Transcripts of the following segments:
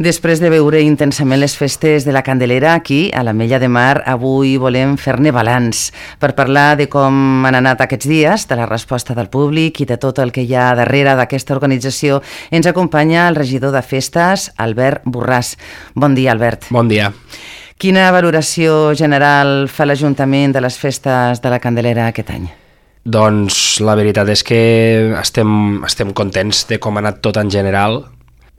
Després de veure intensament les festes de la Candelera, aquí, a l'Ametlla de Mar, avui volem fer-ne balanç per parlar de com han anat aquests dies, de la resposta del públic i de tot el que hi ha darrere d'aquesta organització. Ens acompanya el regidor de festes, Albert Borràs. Bon dia, Albert. Bon dia. Quina valoració general fa l'Ajuntament de les festes de la Candelera aquest any? Doncs la veritat és que estem contents de com ha anat tot en general.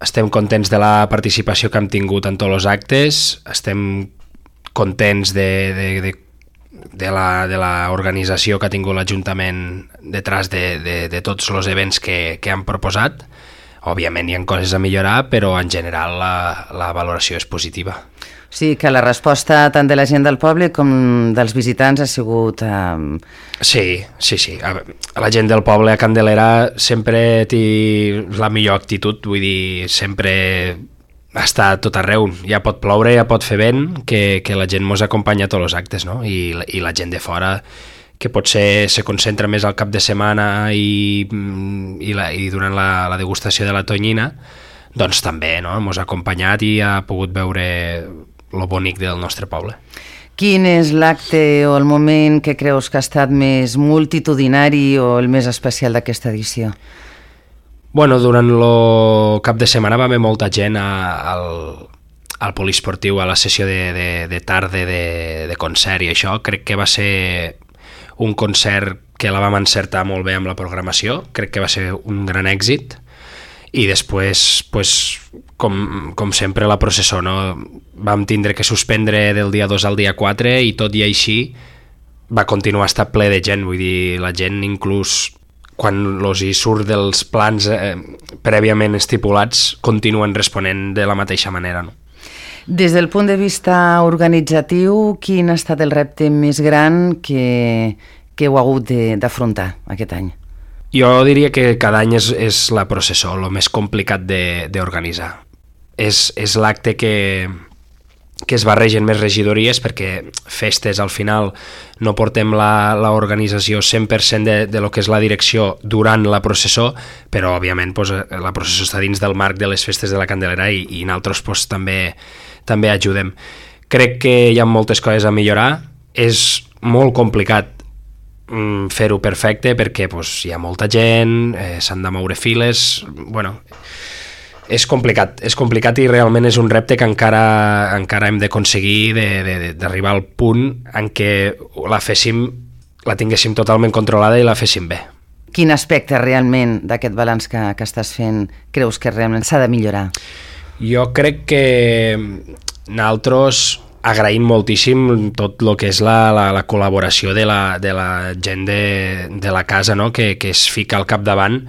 Estem contents de la participació que hem tingut en tots els actes, estem contents de la organització que ha tingut l'Ajuntament detrás de tots els events que han proposat. Òbviament hi ha coses a millorar, però en general la valoració és positiva. Sí, que la resposta tant de la gent del poble com dels visitants ha sigut... Sí. La gent del poble a Candelera sempre té la millor actitud, vull dir, sempre està a tot arreu. Ja pot ploure, ja pot fer vent, que la gent mos acompanya a tots els actes, no? I la gent de fora, que potser se concentra més al cap de setmana i durant la degustació de la tonyina, doncs també, no? Mos ha acompanyat i ha pogut veure lo bonic del nostre poble. Quin és l'acte o el moment que creus que ha estat més multitudinari o el més especial d'aquesta edició? Bueno, durant el cap de setmana va haver molta gent al poliesportiu, a la sessió de tarda de concert i això. Crec que va ser un concert que la vam encertar molt bé amb la programació, crec que va ser un gran èxit. I després, pues, com sempre, la processó, no? Vam tindre que suspendre del dia 2 al dia 4 i tot i així va continuar a estar ple de gent. Vull dir, la gent inclús quan els hi surt dels plans prèviament estipulats continuen responent de la mateixa manera, no? Des del punt de vista organitzatiu, quin ha estat el repte més gran que heu hagut d'afrontar aquest any? Jo diria que cada any és la processó, el més complicat d'organitzar. És l'acte que es barregen més regidories, perquè festes al final no portem l'organització 100% de lo que és la direcció durant la processó, però òbviament pues, la processó està dins del marc de les festes de la Candelera i nosaltres pues, també ajudem. Crec que hi ha moltes coses a millorar, és molt complicat fer-ho perfecte perquè pues, hi ha molta gent, s'han de moure files, bueno, és complicat i realment és un repte que encara hem d'aconseguir d'arribar al punt en què la tinguéssim totalment controlada i la féssim bé. Quin aspecte realment d'aquest balanç que estàs fent creus que realment s'ha de millorar? Jo crec que nosaltres agraïm moltíssim tot el que és la col·laboració de la gent de la casa, no? que es fica al capdavant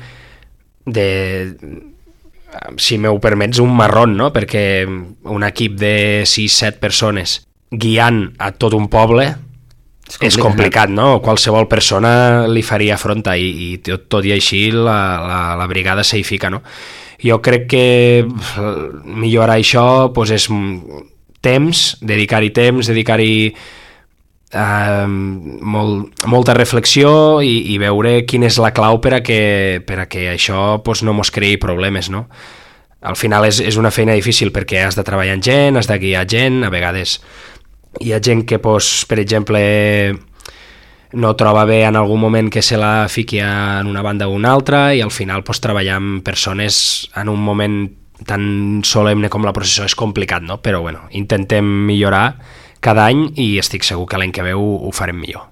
si m'ho permets, un marrón, no? Perquè un equip de 6-7 persones guiant a tot un poble és complicat, no? Qualsevol persona li faria front i tot i així la brigada s'hi fica, no? Jo crec que millorar això pues, és dedicar-hi temps, molta reflexió i veure quina és la clau per a que això pues, no mos creï problemes, no? Al final és una feina difícil perquè has de treballar amb gent, has de guiar gent, a vegades hi ha gent que, pues, per exemple, no troba bé en algun moment que se la fiqui en una banda o una altra i al final pues, treballar amb persones en un moment tan solemne com la processó és complicat, no? Però bueno, intentem millorar cada any i estic segur que l'any que ve ho farem millor.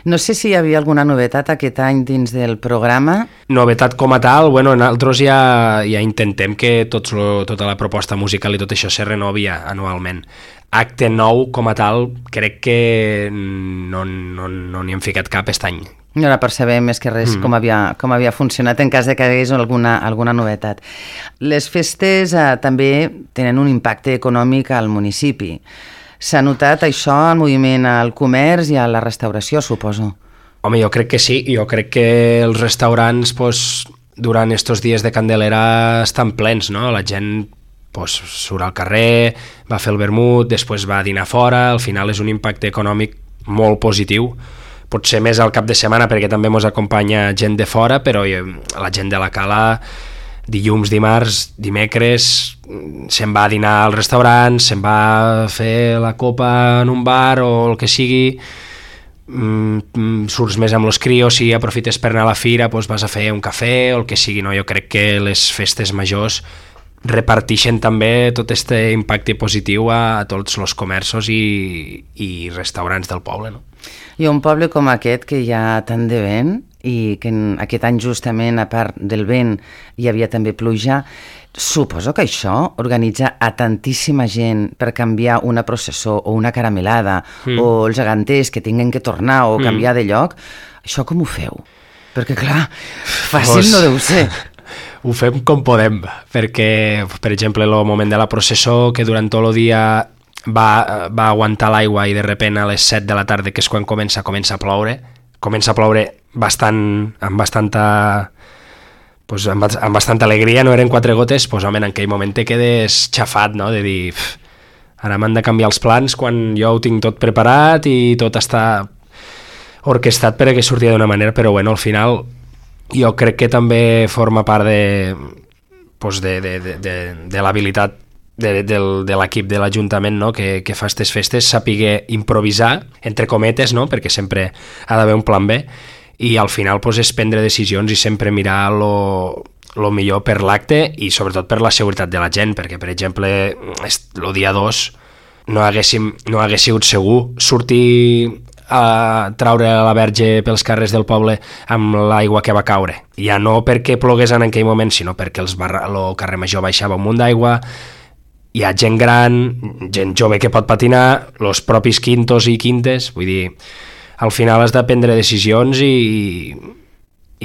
No sé si hi havia alguna novetat aquest any dins del programa. Novetat com a tal, bueno, nosaltres ja intentem que tota la proposta musical i tot això se renovi anualment. Acte nou com a tal, crec que no n'hi hem ficat cap aquest any. No la percebem més que res com havia funcionat en cas de que hi hagués alguna novetat. Les festes també tenen un impacte econòmic al municipi. S'ha notat això al moviment al comerç i a la restauració, suposo? Home, jo crec que sí. Jo crec que els restaurants pues, durant estos dies de Candelera estan plens, no? La gent pues, surt al carrer, va fer el vermut, després va a dinar fora, al final és un impacte econòmic molt positiu. Potser més al cap de setmana perquè també ens acompanya gent de fora, però la gent de la Cala dilluns, dimarts, dimecres, se'n va a dinar al restaurant, se'n va a fer la copa en un bar o el que sigui, surts més amb los crios, si aprofites per anar a la fira, doncs vas a fer un cafè o el que sigui, no? Jo crec que les festes majors reparteixen també tot aquest impacte positiu a tots els comerços i restaurants del poble, no? I un poble com aquest, que hi ha tant de vent, i que aquest any justament, a part del vent, hi havia també pluja, suposo que això organitza a tantíssima gent per canviar una processó o una caramelada, o els geganters que tinguen que tornar o canviar de lloc. Això com ho feu? Perquè, clar, fàcil no deu ser. Ho fem com podem, perquè, per exemple, el moment de la processó, que durant tot el dia va aguantar l'aigua i de repent a les 7 de la tarda, que és quan comença a ploure amb bastanta alegria, no eren 4 gotes, doncs home, en aquell moment te quedes xafat, no?, de dir, ara m'han de canviar els plans quan jo ho tinc tot preparat i tot està orquestat perquè sortia d'una manera, però bueno, al final jo crec que també forma part de l'habilitat de l'equip de l'Ajuntament, no?, que fa aquestes festes, saber improvisar, entre cometes, no?, perquè sempre ha d'haver un plan B, i al final és prendre decisions i sempre mirar lo millor per l'acte i sobretot per la seguretat de la gent, perquè, per exemple, el dia 2 no hagués sigut segur sortir a traure la verge pels carrers del poble amb l'aigua que va caure. Ja no perquè plogués en aquell moment, sinó perquè el carrer Major baixava un munt d'aigua, hi ha gent gran, gent jove que pot patinar, els propis quintos i quintes, vull dir, al final has de prendre decisions i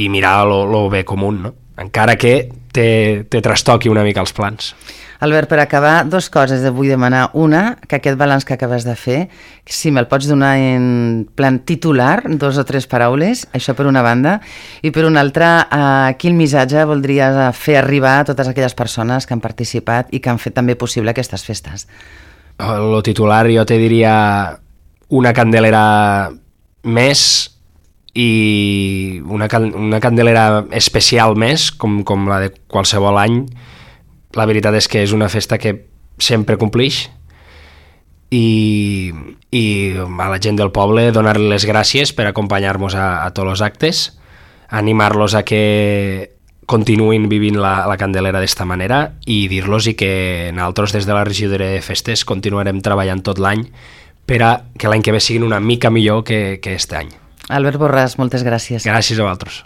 mirar lo bé comú, no? Encara que te trastoqui una mica els plans. Albert, per acabar, 2 coses et vull demanar. Una, que aquest balanç que acabes de fer, si me'l pots donar en plan titular, 2 o 3 paraules, això per una banda, i per una altra, quin missatge voldries fer arribar a totes aquelles persones que han participat i que han fet també possible aquestes festes? El titular jo te diria una candelera més i una candelera especial més, com la de qualsevol any. La veritat és que és una festa que sempre complix i a la gent del poble donar-li les gràcies per acompanyar-nos a tots els actes, animar-los a que continuïn vivint la Candelera d'esta manera i dir-los que nosaltres des de la regidoria de festes continuarem treballant tot l'any per a que l'any que ve siguin una mica millor que este any. Albert Borràs, moltes gràcies. Gràcies a vosaltres.